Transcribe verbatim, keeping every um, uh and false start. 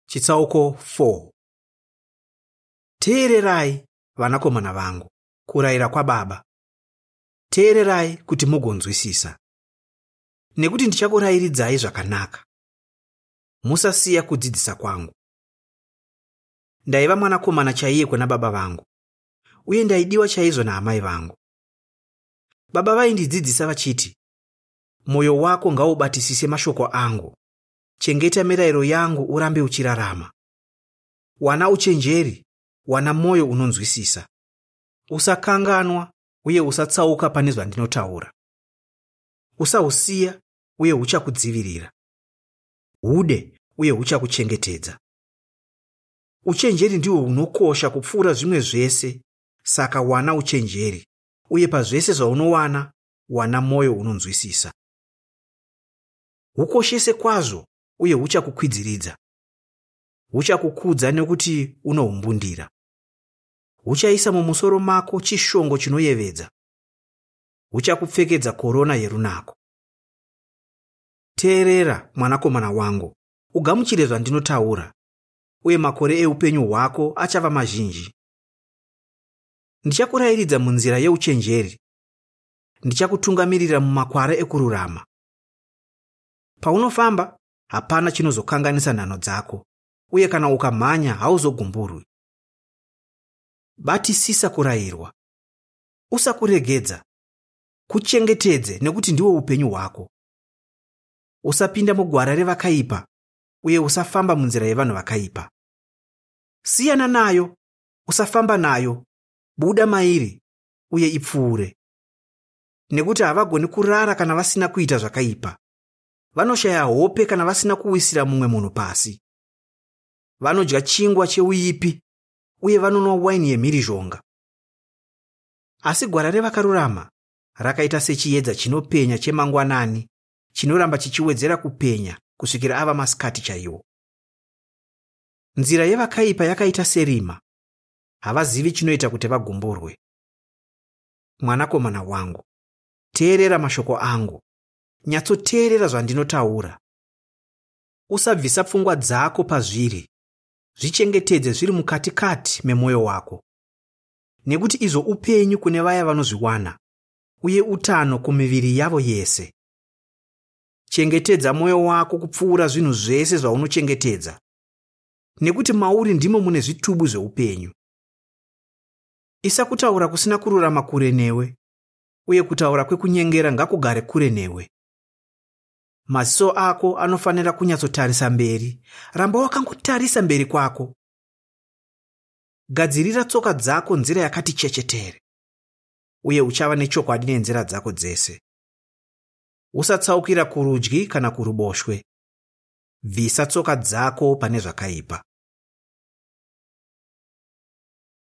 Chitsauko four. Teererai, vanakomana vangu, kurayira kwababa. Teererai kuti mugonzwisisa. Nekuti ndichakurayiridzai zvakanaka. Musasiya kudzidzisa kwangu. Ndaiva mwanakomana chaiye kuna baba vangu, uye ndaidiwa chaizvo naamai vangu. Baba vaindidzidzisa vachiti, mwoyo wako ngaubatisise mashoko angu, chengeta mirayiro yangu urambe uchirarama. Wana uchenjeri, wana mwoyo unonzwisisa. Usakanganwa uye usatsauka pane zvandinotaura. Usahusiya uye huchakudzivirira. Hude uye huchakuchengetedza. Uchenjeri ndihwo hunokosha kupfuura zvimwe zvese, saka wana uchenjeri, uye pazvese zvaunowana, wana mwoyo unonzwisisa. Hukoshese kwazvo uye huchakukwidziridza. Huchakukudza nekuti unohumbundira. Huchaisa mumusoro mako chishongo chinoyevedza. Huchakupfekedza korona yerunako. Teerera, mwanakomana wangu, ugamuchire zvandinotaura, uye makore eupenyu hwako achava mazhinji. Ndichakurayiridza munzira yeuchenjeri. Ndichakutungamirira mumakwara ekururama. Paunofamba, hapana chinozokanganisa nhanho dzako, uye kana ukamhanya hauzogumburwi. Batisisa kurayirwa. Usakuregedza. Kuchengetedze nekuti ndiwo upenyu hwako. Usapinda mugwara revakaipa, uye usafamba munzira yevanhu vakaipa. Siyana nayo, usafamba nayo, buda mairi, uye ipfuure. Nekuti havagoni kurara kana vasina kuita zvakaipa. Vanoshaya hope kana vasina kuwisira mumwe munhu pasi. Vanodya chingwa cheuipi, uye vanonwa waini yemhirizhonga. Asi gwara revakarurama rakaita sechiedza chinopenya chemangwanani, chinoramba chichiwedzera kupenya kusvikira ava masikati chaiwo. Nzira yevakaipa yakaita serima, havazivi chinoita kuti vagumburwe. Mwanakomana wangu, teerera mashoko angu, nyatsoteerera zvandinotaura. Usabvisa pfungwa dzako pazviri, zvichengetedze zviri mukatikati memwoyo wako. Nekuti izvo upenyu kune vaya vanozviwana, uye utano kumiviri yavo yese. Chengetedza mwoyo wako kupfuura zvinhu zvese zvaunochengetedza, nekuti mauri ndimo mune zvitubu zveupenyu. Isa kutaura kusina kururama kure newe, uye kutaura kwekunyengera ngakugare kure newe. Maziso ako anofanira kunyatsotarisa mberi, ramba wakangotarisa mberi kwako. Gadzirira tsoka dzako nzira yakati chechetere, uye uchava nechokwadi nenzira dzako dzese. Usatsaukira kurudyi kana kuruboshwe. Bvisa tsoka dzako pane zvakaipa.